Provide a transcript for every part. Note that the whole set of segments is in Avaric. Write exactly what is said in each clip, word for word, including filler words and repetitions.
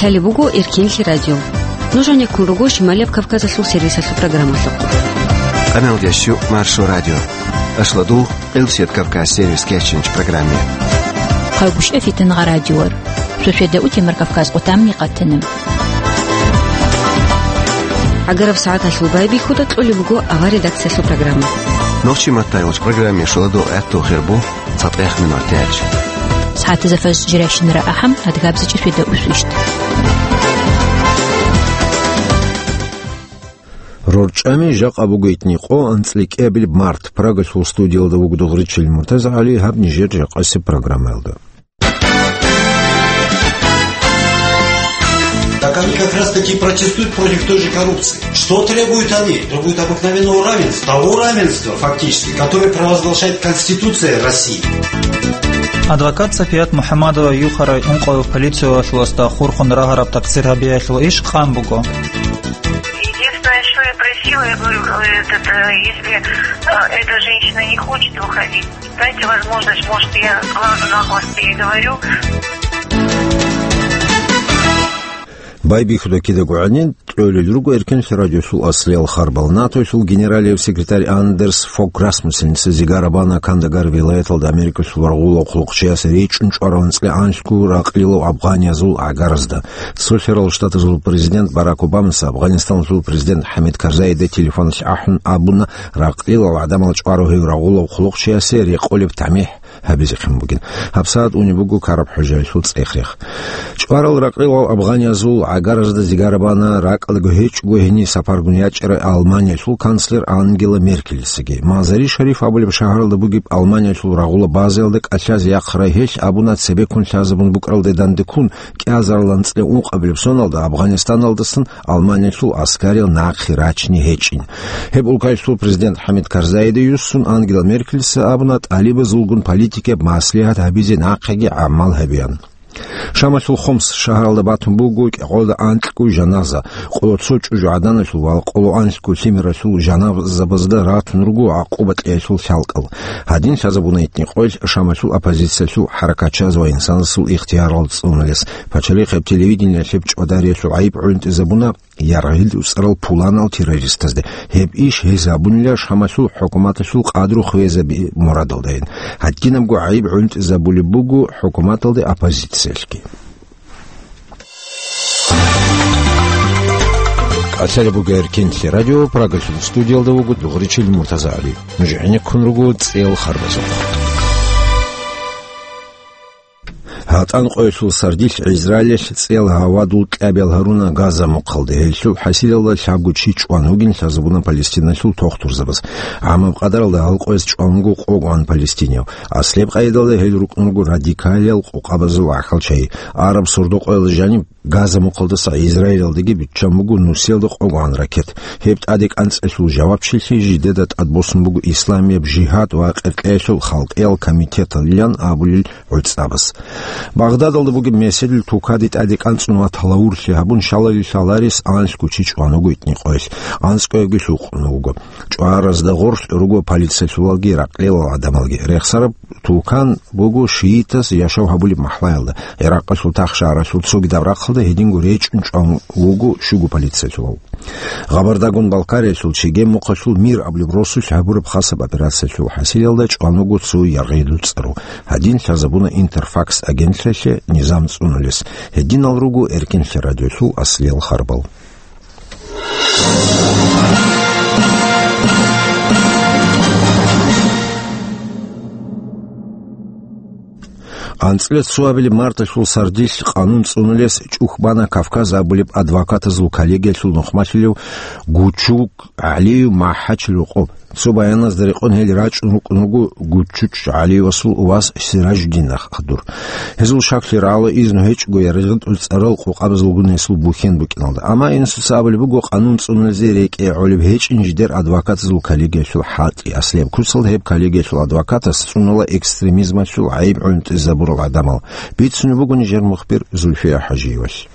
Лъалеб буго Эркинлъи радио. Нуж гьанеккун руго Шималияб Кавказалъул сервисалъул программалъухъ. Къаналдящу Маршо радио. Ашладу Къилсият Кавказ сервис кечинч программе. Хъайгуща фитнагъа радиор. Шошеда утемар Кавказ къутамни къатана. Агараб сагӀаталъул байбихьуда кьолеб буго авар редакциялъул программа. Нохчи маттайвач программе шуладу гӀатту хирбу. ЦатӀех минутач. СагӀатазда фажр жирайщинара ахӀам, адгабзичӀеб шведа усвищ. РорчӀами жакъа буго итни къо анцӀликӀиабилеб март. Прагалъул студиялда вуго Дугъричил МуртазагӀали, гьаб нижер жакъасеб программаялда. Так они как раз таки протестуют против той же коррупции. Что требуют они? Требуют обыкновенного равенства. Того равенства, фактически, которое провозглашает Конституция России. Адвокат Сафият МухӀаммадова юхарай ункъоев полициялъуласда хурхун рагьараб такъсир гьабиялъул иш къан буго. Единственное, что я просила, я говорю, этот, э, если, э, эта женщина не хочет выходить, дайте возможность, может, я с глазу на глаз переговорю. Байбихьуда кидаго гӀанин кьолел руго Эркенлъи радиосул аслиял харбал. НАТОялъул генералияв секретарь Андерс Фог Расмуссеница зигара бана Кандагар вилаяталда Америкалъул рагъулав хъулухъчияс речӀчӀун чӀварав анцӀила анлъго ракълилав афганязул гӀагаразда. Цо лъарал Штатазул президент Барак Обамаса Афганистаналъул президент ХӀамид Карзаида телефоналъ ахӀун абуна, ракълилал гӀадамал чӀварав гьев рагъулав хъулухъчиясе рекъолеб тамихӀ гьабизехъин бугин. ГьабсагӀат унеб буго Караб ХӀужаялъул цӀех-рех. ЧӀварал ракълилал афганязул гӀагаразда зигара бана ракӀалдаго гьечӀого гьениб сапаргун ячӀарай Алманиялъул канцлер Ангела Меркелисаги. Мазари-Шариф абулеб шагьаралда бугеб Алманиялъул рагъула базаялда кӀалъазе яхъарай гьелъ абуна цебеккун лъазабун букӀаралде дандеккун кӀиазарал анцӀила ункъабилеб соналда Афганистаналдасан Алманиялъул аскарил нахъе рачине гьечӀин. Гьеб улкаялъул президент ХӀамид Карзаида юссун Ангела Меркелиса абуна, тӀалибазулгун политикияб маслигьат гьабизе нахъеги гӀамал гьабеян. Шамалъул Хомс шагьаралда батун буго кӀикъоялда анкьго жаназа, къоло цо чӀужугӀаданалъул ва къоло анлъго лъимералъул жаназабазда ратун руго гӀакъуба кьеялъул лъалкӀал. Гьадин лъазабуна итни къоялъ Шамалъул оппозициялъул хӀаракатчияз ва инсанасул ихтиярал цӀунулес. Пачалихъеб телевидениялъ гьеб чӀвадариялъул гӀайиб гӀунтӀизабуна яргъил уцӀарал пуланал террористазде. Гьеб иш гьез гьабунила Шамалъул хӀукуматалъул къадру хвезаби мурадалдайин. Гьадинабго гӀайиб гӀунтӀизабулеб буго хӀукуматалде оппозициялъги. Калъалеб буго Эркинлъи радио, Прагалъул студиялда вуго Дугъричил МуртазагӀали. Нуж гӀенеккун руго цӀел харбазухъ. ГьатӀан къоялъул сардилъ Израилалъ цӀел гьавадул кьабиял гьаруна Газа мухъалде. Гьелъул хӀасилалда лъабго чи чӀван вугин лъазабуна Палестиналъул тохтурзабаз. ГӀамаб къадаралда гьал къояз чӀван вуго къогӀан палестинияв. Аслияб къайдалда гьел рукӀун руго радикалиял къокъабазул гӀахьалчагӀи. Араб сордо-къоялда жаниб Газа мухъалдаса Израилалдаги биччан буго нусиялда къогӀан ракет. Гьеб тӀаде кӀанцӀалъул жавабчилъи жидеда тӀадбосун буго Исламияб жигьад ва къеркьеялъул халкъиял комитеталилан абулел гӀуцӀабас. Багъдадалда бугеб меседил тукаде тӀаде кӀанцӀун ва талавурлъи гьабун, щалалил лъаларес анлъго чи чӀван вуго итни къоялъ, анцӀкӀоябги лъукъун вуго. ЧӀваразда гъорлъ руго полициялъулалги ракълилал гӀадамалги. Рехсараб тукан буго шиитаз яшав гьабулеб махӀлаялда. ГӀиракъалъул тахшагьаралъул цогидаб рахъалда гьединго речӀчӀун чӀван вуго щуго полициялъулав. Гъабардагун Балкариялъул Чегем мухъалъул Мир абулеб росулъ гьабураб хасаб операциялъул хӀасилалда чӀван вуго цо яргъи дуцӀару. Гьадин лъазабуна Интерфакс агентлъиялъе низам цӀунулес. Гьединал руго Эркинлъи радиолъул аслиял харбал. АнцӀила цоабилеб марталъул сардилъ къанун цӀунулес чӀухь бана Кавказ абулеб адвокатазул коллегиялъул нухмалъулев Гучук ГӀалиев МахӀачил рокъоб. Цо баяназда рекъон гьел рачӀун рукӀун руго Гучуч ГӀалиевасул вас Сиражуддинахъ хадур. Гьезул шаклъи рагӀула изну гьечӀого яргъитӀул цӀарал къокъабазулгун гьесул бухьен букӀиналда. Амма инсуца абулеб буго, къанун цӀунулезе рекӀее гӀолеб гьечӀин жидер адвокатазул коллегиялъул хӀалтӀи. Аслияб куцалда гьеб коллегиялъул адвокатас цӀунула экстремизмалъул гӀайиб гӀунтӀизабурал гӀадамал. Бицунеб буго нижер мухбир Зульфия ХӀажиевалъ.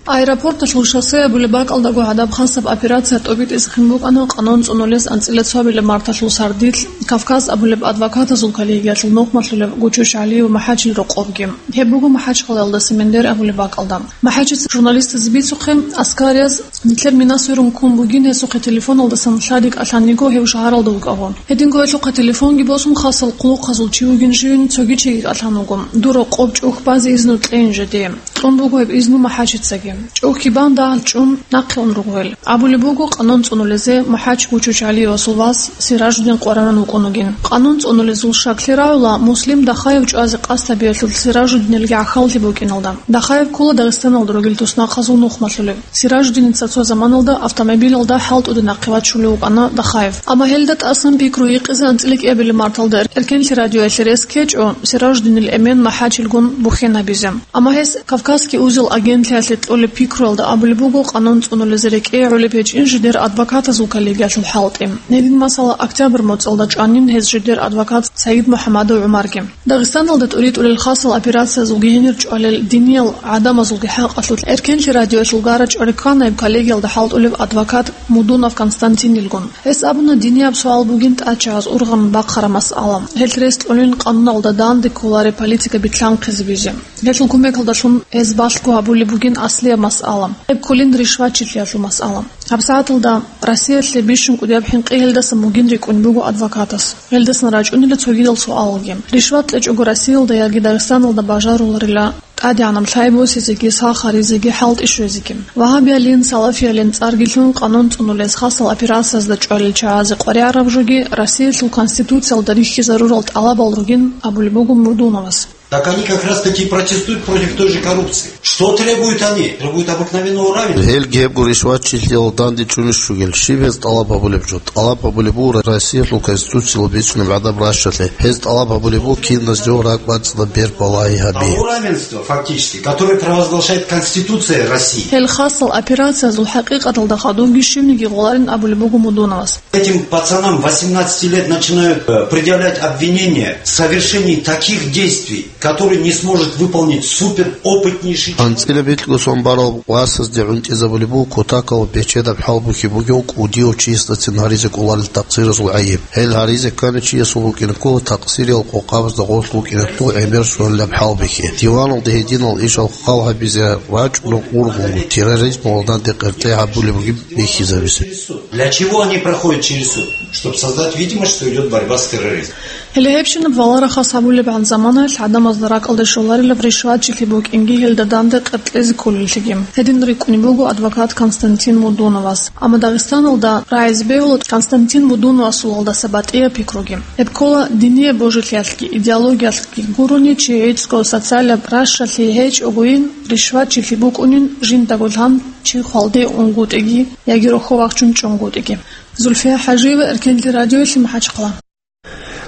Аэропорталъул шоссе абулеб бакӀалдаго гьадаб хасаб операция тӀобитӀизехъин букӀана къанун цӀунулес анцӀила цоабилеб марталъул сардилъ «Кавказ» абулеб адвокатазул коллегиялъул нухмалъулев Гучуч ГӀалиев МахӀачил рокъобги. Гьеб буго МахӀачхъалаялда Семендер абулеб бакӀалда. МахӀачица журналистазе бицухъе, аскарияз нилъер мина сверун ккун бугин, гьесухъе телефоналдасан лъади кӀалъан йиго гьев шагьаралда вукӀаго. Гьединго гьелъухъе телефонги босун, хасал хъулухъазул чи вугин живин цоги чиги кӀалъан вуго. Дур рокъоб чӀухь базе изну кьейин жеде. Кьун буго гьеб изну МахӀачицаги. ЧӀухьги бан дагьал чӀун нахъе ун руго гьел. Абулеб буго, къанун цӀунулезе МахӀач Гучуч ГӀалиевасул вас Сиражудин къваригӀун вукӀун вугин. Къанун цӀунулезул щаклъи рагӀула Муслим Дахаев чӀвазе къасд гьабиялъул Сиражуддиналги гӀахьаллъи букӀиналда. Дахаев ккола Дагъистаналда ругел туснахъазул нухмалъулев. Сиражуддиница цо заманалда автомобилалда хӀалтӀуде нахъе вачулев вукӀана Дахаев. Амма гьелда тӀасан пикру гьикъизе анцӀила кӀиабилеб марталда Эркенлъи радиоялъе рес ккечӀо, Сиражуддинил эмен МахӀачилгун бухьен гьабизе. Амма гьес «Кавказский узел» агентлъиялъе кьолеб пикруялда абулеб буго къанун цӀунулезе рекӀее гӀолеб гьечӀин жидер адвокатазул коллегиялъул хӀалтӀи. Гьедин, масала, октябрь моцӀалда чӀванин гьез жидер адвокат Саид МухӀамадов ГӀумарги. Дагъистаналда тӀуритӀулел хасал операциязулги гьенир чӀвалел диниял гӀадамазулги хӀакъалъулъ Эркенлъи радиоялъул гарачӀвари ккана гьеб коллегиялда хӀалтӀулев адвокат Мудунов Константинилгун. Гьес абуна, динияб суал бугин тӀачагӀаз ургъан бахъараб масъала. Гьелъ рес кьунин къануналда данде кколареб политика битлъанхъизе бизе. Гьелъул кумекалдалъун гьез балъго гьабулеб бугин аслияб масъала. Гьеб кколин ришватчилъиялъул масъала. ГьабсагӀаталда Россиялъе бищун кӀудияб хӀинкъи гьелдасан бугин рикӀкӀунеб буго адвокатас. Гьелдасан рачӀунила цогидал суалалги. Ришват кьечӀого Россиялда яги Дагъистаналда бажаруларила тӀадегӀанаб лъай босизеги, сах гьаризеги, хӀалтӀи щвезеги. Вагьабиялин, салафиялин цӀарги лъун къанун цӀунулез хасал операциязда чӀвалел чагӀазе къваригӀараб жоги Россиялъул Конституциялда рихьизарурал тӀалабал ругин абулеб буго Мудуновас. Так они как раз таки и протестуют против той же коррупции. Что требуют они? Требуют обыкновенного равенства. Гьелги гьебго ришватчилъиялда данде чӀунищ ругел, щиб гьез тӀалаб гьабулеб жо? ТӀалаб гьабулеб буго Россиялъул Конституциялъ бицунеб гӀадаб ращалъе. Гьез тӀалаб гьабулеб буго киназдаго ракӀбацӀцӀадаб бер балагьи гьаби. Того равенства, фактически, которое провозглашает Конституция России. Гьел хасал операциязул хӀакъикъаталда хадубги щибниги гъоларин абулеб буго Мудуновас. Этим пацанам восемнадцати лет начинают, э, предъявлять обвинения в совершении таких действий, которые не сможет выполнить суперопытнейший человек. АнцӀила бикьго сон барал васазде гӀунтӀизабулеб буго кутакалда бечедаб хӀалбихьи бугев кӀудияв чиясдацин гьаризе кӀоларел такъсиразул гӀайиб. Гьел гьаризе ккани чиясул букӀине ккола такъсириял къокъабазда гъорлъ букӀине ккола гӀемер сонилаб хӀалбихьи. Диваналда гьединал ишал хал гьабизе рачӀуна ургъунгу терроризмалда данде къеркьей гьабулеб бугин бихьизабизе. Для чего они проходят через суд? Чтобы создать видимость, что идёт борьба с терроризмом. Гьеле гьебщинаб валарахъас гьабулебгӀан заманаялъ гӀадамазда ракӀалде щоларилаб ришватчилъи букӀинги гьелда данде къеркьезе кколеллъиги. Гьедин рикӀкӀунеб буго адвокат Константин Мудуновас. Амма Дагъистаналда рагӀизе бегьула Константин Мудуновасулалдаса батӀияб пикруги. Гьеб ккола динияб божилъиялъги идеологиялъги гурони, чи гӀицӀго социалаб ращалъи гьечӀогойин, ришватчилъи букӀунин, жиндаго лъан чи хвалде унгутӀиги яги рохьо вахчун чӀунгутӀиги. Зульфия ХӀажиева, Эркенлъи радиоялъе, МахӀачхъала.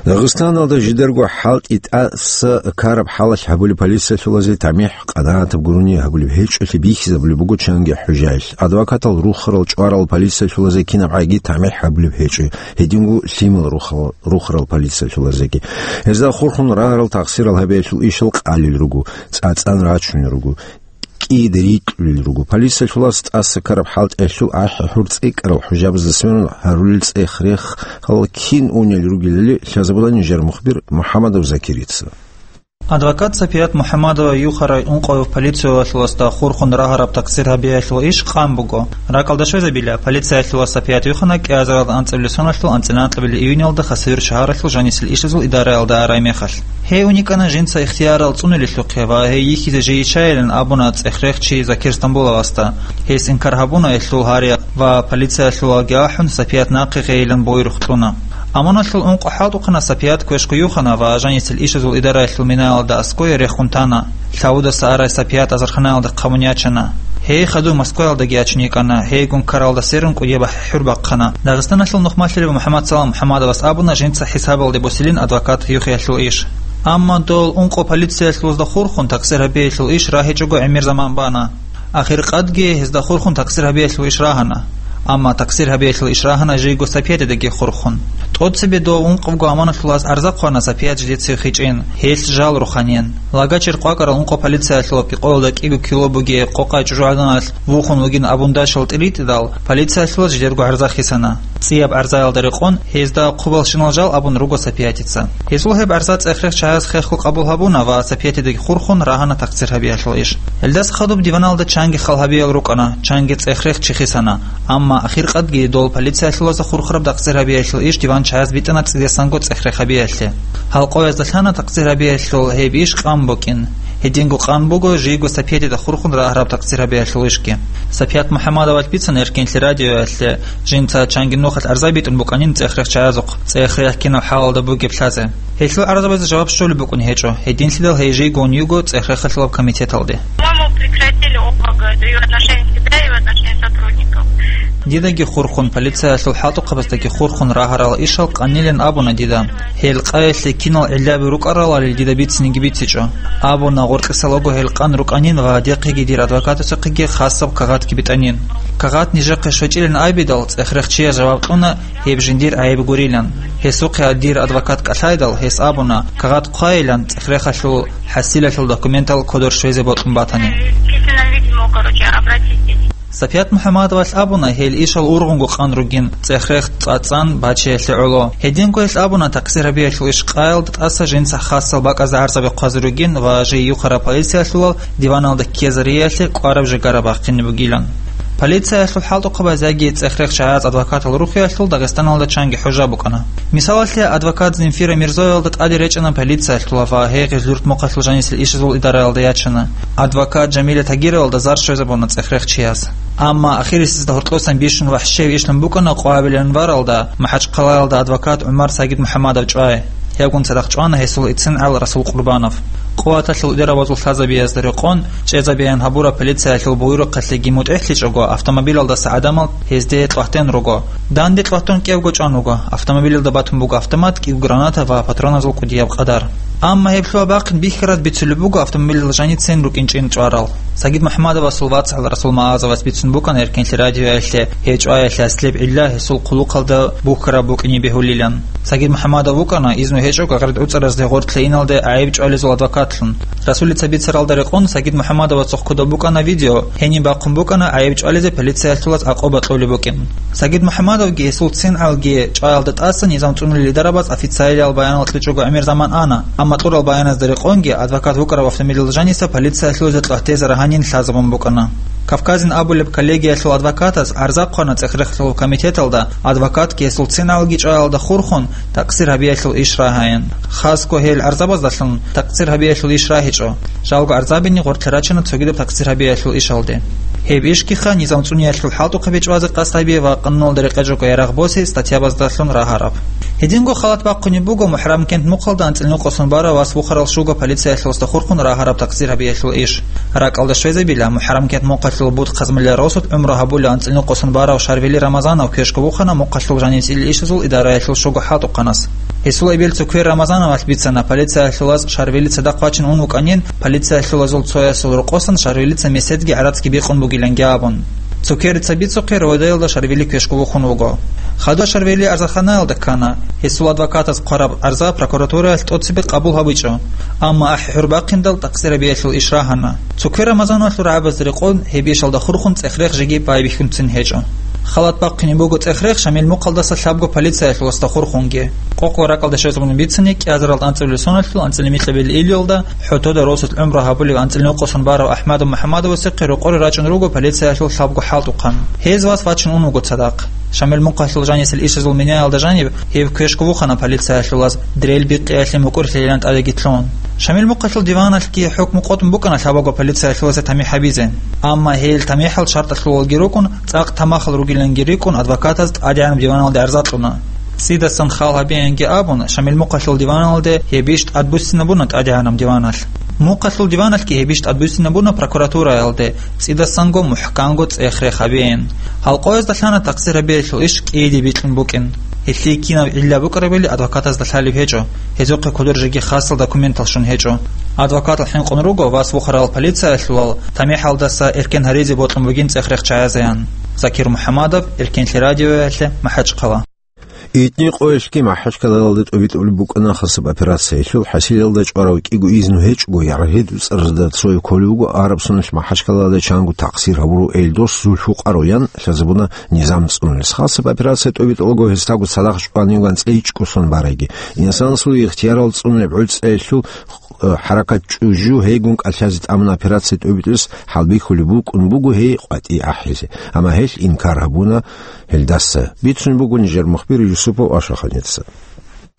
Дагъистаналда жидерго хӀалтӀи тӀаса ккараб хӀалалъ гьабулеб полициялъулазе тамихӀ къанагӀатаб гурони гьабулеб гьечӀолъи бихьизабулеб буго чанги хӀужаялъ. Адвокатал рухарал, чӀварал полициялъулазе кинабгӀаги тамихӀ гьабулеб гьечӀо, гьединго лъимал рухарал, рухарал полициялъулазеги. Гьезда хурхун рагьарал такъсирал гьабиялъул ишал къалел руго, цӀацӀан рачунел руго, кӀида рикьулел руго. Полициялъулас тӀаса ккараб хӀалтӀиялъул ахӀи-хӀур цӀикӀкӀарал хӀужабазда сверун гьарулел цӀех-рехал кин унел ругелали лъазабулани жанр мухбир МухӀамадов Закирица. Адвокат Сапият МухӀамадова юхарай ункъояв полициялъуласда хурхун рагьараб такъсир гьабиялъул иш къан буго. РакӀалда щвезабила, полициялъулас Сапият юхана кӀиазаралда анцӀабилеб соналъул анцӀила анкьабилеб июньалда Хасавюрт шагьаралъул жанисел ишазул идараялда арай мехалъ. Гьей уникана жинца ихтиярал цӀунулелъухъе ва гьей йихьизе жийищайилан абуна цӀех-рех чи Закир Стамбуловасда. Гьес инкар гьабуна гьелъул гьариялъ ва полициялъулги ахӀун, Сапият нахъе гъейилан буйрухъ кьуна. Амуналъул ункъо хӀалтӀухъана Сапият квешго юхана ва жанисел ишазул идараялъул минаялда аскӀове рехун тана. Лъавудаса арай Сапият азарханаялда хъамун ячана. Гьей хадув Москваялдаги ячин йикӀана, гьейгун ккаралда сверун кӀудияб ахӀи-хӀур бахъана. Дагъистаналъул нухмалъулев МухӀаммад Салам МухӀаммадовас абуна жинца хӀисабалде босилин адвокат юхиялъул иш. Амма дол ункъо полициялъулазда хурхун такъсир гьабиялъул иш рагьичӀого гӀемер заман бана. Ахиркъадги гьезда хурхун такъсир гьабиялъул иш рагьана. Амма такъсир гьабиялъул иш рагьана жийго Сапиятидаги хурхун. ТӀоцебе дов ункъабго аманаталъулас арза хъвана Сапият жидеца вихичӀин, гьелъ жал руханин. Лагачир къвакӀарал ункъо полициялъулаб къоялда кӀиго кило бугеб къокъай чӀужугӀаданалъ вухун вугин абун дашал тӀиритӀидал, полициялъулас жидерго гӀарза хисана. ЦӀияб гӀарзаялда рекъон, гьезда хъубалщинал жал абун руго Сапиятица. Гьезул гьеб гӀарза цӀех-рех чагӀаз хехго къабул гьабуна ва Сапиятидаги хурхун рагьана такъсир гьабиялъул иш. Гьелдаса хадуб диваналда чанги хал гьабиял рукӀана, чанги цӀех-рех чи хисана. Амма ахиркъадги дол полициялъулазда хурхараб такъсир гьабиялъул иш диван чагӀаз битӀана цӀидасанго цӀех-рех гьабиялъе. Гьалкъоязда лъана такъсир гьабиялъул гьеб иш къан букӀин. Гьединго къан буго жийго Сапиятида хурхун рагьараб такъсир гьабиялъул ишги. Сапият МухӀаммадовалъ бицана Эркенлъи радиоялъе, жинца чанги нухалъ арза битӀун букӀанин цӀех-рех чагӀазухъ, цӀех-рех кинал хӀалалда бугеб лъазе. Гьелъул гӀарзабазе жаваб щолеб букӀун гьечӀо, гьединлъидал гьей жийго ун йиго цӀех-рехалъулаб комитеталде. По-моему, прекратили ОПГ, да и в отношении себя, и в отношении сотрудников. Дидаги хурхун, полициялъул хӀалтӀухъабаздаги хурхун рагьарал ишал къанилин абуна дида. Гьел къаялъе кинал гӀиллаби рукӀаралали дида бицинеги бицичӀо. Абуна, гъоркьисалаго гьел къан рукӀанин ва дихъеги дир адвокатасухъеги хасаб кагъатги битӀанин. Кагъат нижехъе щвечӀилин абидал, цӀех-рех чияс жаваб кьуна, гьеб жиндир гӀайиб гурилан. Гьесухъе дир адвокат кӀалъайдал, гьес абуна, кагъат хъвайилан, цӀех-рехалъул хӀасилалъул документал кодор щвезе бокьун батани. Сапият МухӀаммадовалъ абуна, гьел ишал ургъунго къан ругин, цӀех-рех цӀацӀан бачиялъе гӀоло. Гьединго гьелъ абуна, такъсир гьабиялъул иш къаялда тӀаса жинца хасал бакӀазда гӀарзаби хъвазе ругин ва жий юхараб полициялъулал диваналда ккезариялъе кӀвараб жигара бахъине бугилан. Полициялъул хӀалтӀухъабаз яги цӀех-рех чагӀаз адвокатал рухиялъул Дагъистаналда чанги хӀужа букӀана. Мисалалъе, адвокат Земфира Мирзоялда тӀаде речӀана полициялъулав ва гьей гъезлурт мухъалъул жанисел ишазул идараялда ячана. Адвокат Жамиля Тагировалда зар щвезабуна цӀех-рех чияс. Амма ахирисезда гьоркьосан бищун вахӀщев ишлъун букӀана къвабилан варалда, МахӀачхъалаялда адвокат ГӀумар Сагид МухӀаммадов чӀвай. Гьевгун цадахъ чӀвана гьесул эцин гӀал Расул Къурбанов. Къуваталъул удерабазул лъазабиязда рекъон, чӀезабеян гьабураб полициялъул буюрухъалъеги мутӀигӀлъичӀого, автомобилалдаса гӀадамал гьезде кьватен руго. Данде кьватун кӀевго чӀван вуго, автомобилалда батун буго автомат, кӀиго граната ва патроназул кӀудияб къадар. Амма гьеб лъугьа-бахъин бихьараз бицулеб буго автомобилалда жаницин рукӀинчӀин чӀварал. Сагид МухӀаммадовасул вацгӀал Расул Магьазовас бицун букӀана Эркенлъи радиоялъе гьей чӀваялъе аслеб гӀилла гьесул хъулухъалда бухьараб букӀине бегьулилан. Сагид МухӀаммадов вукӀана изну гьечӀого гъерд гӀуцӀаразде гъоркье иналде гӀайиб чӀвализул адвокатлъун. Расулица бицаралда рекъон Сагид МухӀаммадовасухъ кодоб букӀана видео, гьениб бахъун букӀана гӀайиб чӀвализе полициялъулаз акъуба кьолеб букӀин. Сагид МухӀаммадовги гьесул цин гӀалги чӀваялда тӀаса низам цӀунулел идарабаз официалиял баянал кьечӀого гӀемер заман ана, амма кьурал баяназда рекъонги адвокат вукӀарав автомобилалда жаниса полициялъулазда кьватезе рагьанин лъазабун букӀана. Кавказин абулеб коллегиялъул адвокатас гӀарза хъвана цӀех-рехалъул комитеталда, адвокатги гьесул цин гӀалги чӀваялда хурхун, такъсир гьабиялъул иш рагьайин. Хасго гьел гӀарзабаздалъун такъсир гьабиялъул иш рагьичӀо. Жалго гӀарзабине гъоркье рачана цогидаб такъсир гьабиялъул ишалде. Гьеб ишгиха низам цӀуниялъул хӀалтӀухъаби чӀвазе къасд гьабизе ва къануналда рекъечӀого ярагъ босе статьябаздалъун рагьараб. Гьединго халат бахъунеб буго МухӀарамкент мухъалда анцӀила нукъосун барав вас вухарал щуго полициялъуласда хурхун рагьараб такъсир гьабиялъул иш. РакӀалда щвезабила, МухӀарамкент мухъалъул буд хъазмулел росулъ гӀумру гьабулев анцӀила нукъосун барав Шарвили Рамазанов квешго вухана мухъалъул жанисел ишазул идараялъул щуго хӀалтӀухъанас. Гьесул эбел цукер Рамазановалъ бицана, полициялъулаз Шарвили цадахъ вачин ун вукӀанин, полициялъулазул цоясул рокъосан Шарвилица меседги гӀарацги бикъун бугиланги абун. Цукерица бицухъе, Роводаялда Шарвили квешго вухун вуго. Хадур Шарвили арзаханаялда ккана. Гьесул адвокатас хъвараб арза прокуратураялъ тӀоцебе къабул гьабичӀо. Амма ахӀи-хӀур бахъиндал такъсир гьабиялъул иш рагьана. Цукер Рамазановалъул рагӀабазда рекъон гьеб ишалда хурхун цӀех-рех жеги байбихьунцин гьечӀо. Халат бахъунеб буго цӀех-рех Шамил мухъалдаса лъабго полициялъуласда хурхунги. Къокъ ва ракӀалда щвезабуна бицани, кӀиазарал анцӀабилеб соналъул анцӀила микьабилеб июльалда ХӀотода росулъ гӀумру гьабулев анцӀила нукъосун барав АхӀмадов МухӀаммадовасухъе рокъоре рачӀун руго полициялъул лъабго хӀалтӀухъан. Гьез вас вачун ун вуго цадахъ. Шамил мухъалъул жанисел ишазул меняялда жаниб гьев квешго вухана полициялъулаз, дрель бикъиялъе мукӀурлъилилан тӀадеги лъун. Шамил мухъалъул диваналъги хӀукму къотӀун букӀана лъабаго полициялъулазе тамихӀ гьабизе. Амма гьел тамихӀал шартӀалъулалги рукӀун, цӀакъ тамахал ругиланги рикӀкӀун, адвокатаз тӀадегӀанаб диваналде арза кьуна. ЦӀидасан хал гьабеянги абун, Шамил мухъалъул диваналде гьебищ тӀадбуссинабуна тӀадегӀанаб диваналъ. Мухъалъул диваналъги гьебищ тӀадбуссинабуна прокуратураялде, цӀидасанго мухӀканго цӀех-рех гьабеян. Гьалкъоязда лъана такъсир гьабиялъул иш кӀиде бикьун букӀин. Гьелъие кинаб гӀилла букӀарабали адвокатазда лъалеб гьечӀо, гьезухъе кодор жеги хасал документал щун гьечӀо. Адвокатал хӀинкъун руго вас вухарал полициялъулал тамихӀалдаса эркен гьаризе бокьун бугин цӀех-рех чагӀазеян. Закир МухӀаммадов, Эркенлъи радиоялъе, МахӀачхъала. Итни къоялъги МахӀачкъалалда тӀобитӀулеб букӀана хасаб операциялъул хӀасилалда чӀварав кӀиго изну гьечӀого ягъид-уцӀаразда цояв кколев вуго Араб Соналъ МахӀачкъалалда чанго тахсир гьабурав Эльдос Зульфукъаров ян лъазабуна низам цӀунулес. Хасаб операция тӀобитӀулаго гьесдаго цадахъ чӀванивган цӀейчӀго сон барайги, инсанасул ихтиярал цӀунулеб гӀуцӀаялъул, э, хӀаракат чӀужу гьейгун кӀалъазе тӀамуна операция тӀобитӀулес хӀалбихьулеб букӀун буго гьей къватӀи ахӀизе. Амма гьелъ инкар гьабуна гьелдаса. Бицун буго нижер мухбир Юсупов Ашаханица.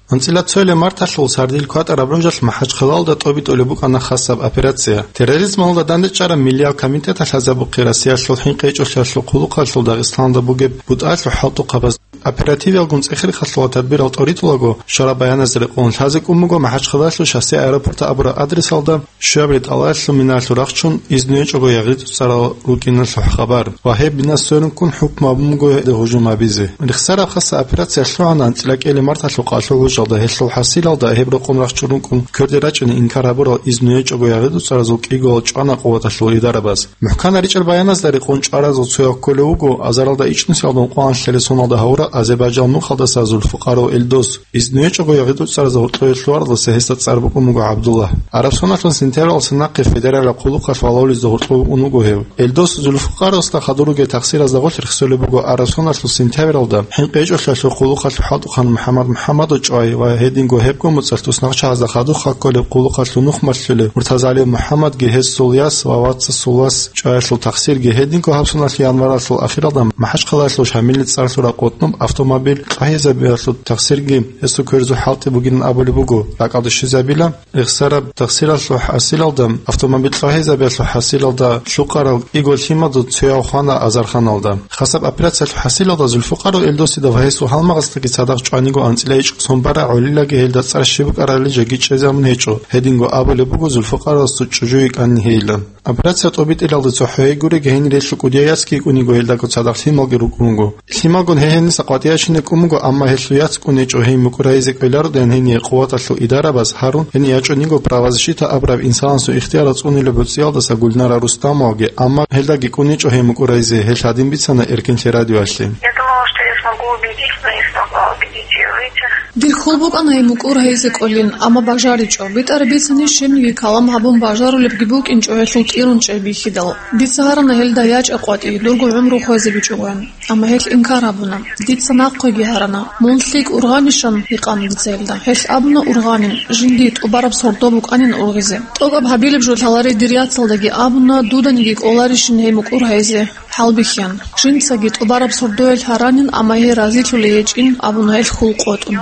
АнцӀила цоялъ марталъул сардил кватӀараб ружалъ МахӀачхъалалда тӀобитӀулеб букӀана хасаб операция. Терроризмалда дандечӀараб миллиял комитеталъ лъазабухъе Россиялъул хӀинкъи гьечӀолъиялъул хъулухъалъул Дагъистаналда бугеб бутӀалъул хӀалтӀухъабаз. Оперативалгун цӀехирхъалъула тадбирал тӀоритӀулаго, щвараб баяназда рекъон лъазе кӀун буго МахӀачхъалалъул шоссе аэропорт абураб адресалда щуяб ретӀалалъул минаялъул рахчун изну гьечӀого ягъид-уцӀарал рукӀиналъул хабар ва гьеб бина сверун ккун хӀукму гьабун буго гьелда гьужум гьабизе. Рехсараб хасаб операция лъугӀана анцӀила кӀиабилеб марталъул къалъул гьужалда, гьелъул хӀасилалда гьеб рокъон рахчун рукӀун кверде рачӀунел инкар гьабурал изну гьечӀого ягъид-уцӀаразул кӀиго чӀвана къуваталъул идарабаз. МухӀканаб ричӀчӀаб баяназда рекъон чӀваразул цояв кколев вуго азаралда ичӀнусиялда ункъоялда соналда гьавурав Азербайджан мухъалдаса Зульфукъаров Эльдос. Изну гьечӀого ягъид-уцӀаразда гьоркьове лъугьаралдаса гьесда цӀар букӀун буго ГӀабдулла. Араб Соналъул сентябралдаса нахъе федералияб хъулухъалъ валавулезда гьоркьове ун вуго гьев. Эльдос Зульфукъаровасда хадур ругел тахсиразда гъорлъ рехсолеб буго Араб Соналъул сентябралда хӀинкъи гьечӀолъиялъул хъулухъалъул хӀалтӀухъан МухӀаммад МухӀаммадов чӀвай ва гьединго гьебго моцӀалъ туснакъчагӀазда хадур хӀал кколеб хъулухъалъул нух малъулев Муртазалиев МухӀаммадги гьесул яс ва вацасул вас чӀваялъул тахсирги, гьединго гьаб соналъ январалъул ахиралда МахӀачхъалаялъул Шамилил цӀар лъураб къотӀноб автомобиль тӀагьизабиялъул тахсирги гьесул кверзул хӀалтӀи бугилан абулеб буго, ракӀалде щвезабила. Рехсараб тахсиралъул хӀасилалда, автомобиль тӀагьизабиялъул хӀасилалда лъукъарал кӀиго лъимадул цояв хвана азарханалда. Хасаб операциялъул хӀасилалда Зульфукъаров Эльдосида ва гьесул гьалмагъасдаги цадахъ чӀваниго анцӀила ичӀго сон бара гӀолилаги гьелда цӀар щиб букӀарабали жеги чӀезабун гьечӀо, гьединго абулеб буго Зульфукъаровасул чӀужу йикӀанин гьейилан. Операция тӀобитӀиналде цохӀо гьей гуреги гьенир гьелъул кӀудияй яцги йикӀун йиго, гьелдаго цадахъ лъималги рукӀун руго. Лъималгун гьей гьениса къватӀиябщинаб кӀун буго, амма гьелъул яц кӀун гьечӀо гьей мукӀур гьайизе кӀвелародайин гьение къуваталъул идарабаз гьарун, гьенир ячӀун йиго правозащита абураб инсанасул ихтиярал цӀунулеб гӀуцӀиялдаса Гульнара Рустамоваги, амма гьелдаги кӀун гьечӀо гьей мукӀур гьайизе, гьелъ гьадин бицана Эркенлъи радиоялъе. Я думала, что я смогу убедить, но не смогла убедить её выйти. Дир хьул букӀана гьей мукӀур гьайизе кӀолин, амма бажаричӀо. БитӀараб бицани, щибниги калам гьабун бажарулебги букӀинчӀо гьелъул тӀирун чӀей бихьидал. Дица гьарана гьелда ячӀа къватӀи, дурго гӀумру хвезабичӀогойин. Амма гьелъ инкар гьабуна. Дица нахъеги гьарана. Мун лъикӀ ургъанищан гьикъана дица гьелда. Гьелъ абуна ургъанин, жиндие тӀубараб сордо букӀанин ургъизе. ТӀокӀаб гьабилеб жо лъаларей дир яцалдаги абуна, дуданиги кӀоларищин гьей мукӀур гьайизе. ХӀалбихьан. Жинцаги тӀубараб сордоялъ гьаранин, амма гьей разилъулей гьечӀин, абуна гьелъ хьул къотӀун.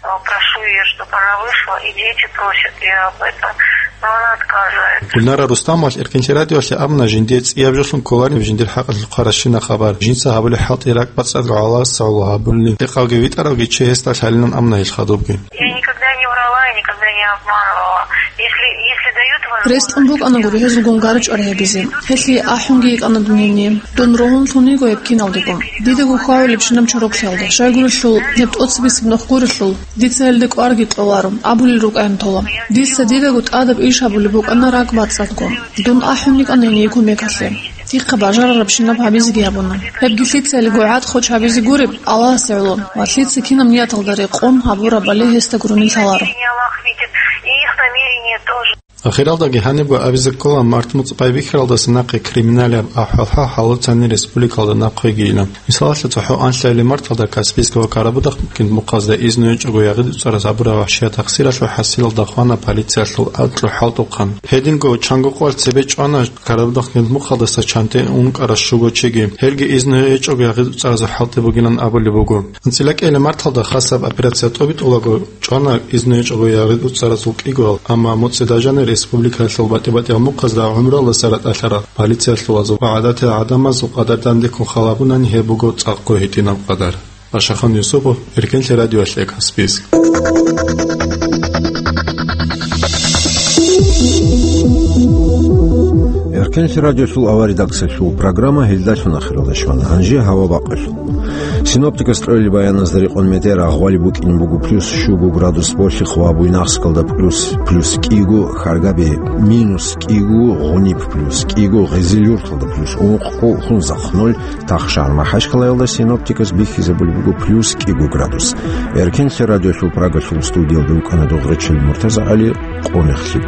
Прошу её, чтоб она вышла, и дети просят её об этом, но она отказывается. Гульнара Рустамовалъ Эркенлъи радиоялъе абуна, жиндие цӀияб жолъун кколарин жиндир хӀакъалъулъ хъваращина хабар. Жинца гьабулеб хӀалтӀи ракӀбацӀцӀад гӀоло гӀоло гьабулин. Рекъавги витӀаравги чи гьесда лъалилан абуна гьелъ хадубги. Я никогда не врала и никогда не обманывала. Если, если дают возможность... Рес кьун букӀана гури гьезулгун гара-чӀвара гьабизе. Гьелъие ахӀунги йикӀана дун гьенире. Дун ругьунлъун йиго гьеб киналдего. Дидаго хьвагӀулебщинаб чороклъиялда. Щайгурелъул, гьеб тӀоцебесеб нух гурелъул, дица гьелде кӀварги кьоларо, абулел рукӀайин тола. Дица дидаго тӀадаб иш гьабулеб букӀана ракӀбацӀцӀадго. Дун ахӀун йикӀана гьение кумекалъе. Дихъа бажарарабщинаб гьабизеги гьабуна. Гьебги лъицайилго гӀадхъуч гьабизе гуреб Аллагьасе гӀоло ва лъица кинаб нияталда рекъон гьабурабали гьесда гурони лъаларо. Ахиралдаги гьанибго абизе ккола, март муцӀ байбихьаралдаса нахъе криминалияб ахӀвал-хӀал гьалуцани республикалда нахъвегийилан. Мисалалъе, цохӀо анлъабилеб марталда Каспийск ва Карабудахъ гьединлъухъазда изну гьечӀого ягъид-уцӀараз гьабураб вагьшияб тахсиралъул хӀасилалда хвана полициялъул анкьго хӀалтӀухъан. Гьединго чанго къоялъ цебе чӀвана Карабудахъ гьединлъухъалдаса чанте ункъарал щуго чиги. Гьелги изну гьечӀого ягъид-уцӀаразул хӀалтӀи бугилан абулеб буго. АнцӀила кӀиабилеб марталда хасаб операция тӀобитӀулаго чӀвана изну гьечӀого ягъид-уцӀаразул кӀигоял, амма муцӀи дажани республикаялъул батӀи-батӀиял мухъазда гӀумруялдаса ратӀалъарал полициялъулазул ва гӀадатиял гӀадамазул къадар дандеккун халабунани гьеб буго цӀакъго гьитӀинаб къадар. Ашахан Юсупов, Эркенлъи радиоялъе, Каспийск. Эркенлъи радиоялъул авария редакциялъул программа гьелдалъун ахиралде щвана. Гьанже гьава бакъулъ. Синоптикас кьолел баяназда рекъон метер, агъвали букӀин буго плюс щуго градус Болъихъ ва Буйнакскалда плюс, плюс кӀиго, Харгаби минус кӀиго, Гъуниб плюс кӀиго, Гъизил-Юрталда плюс ункъго, Хунзахъ ноль, Тахшан Махачкалаялда синоптикас бихьизабулеб буго плюс кӀиго градус. Эркенлъи радиолъул Прагалъул студиялда вукӀана Дугърачил МуртазагӀали, къонахлъи.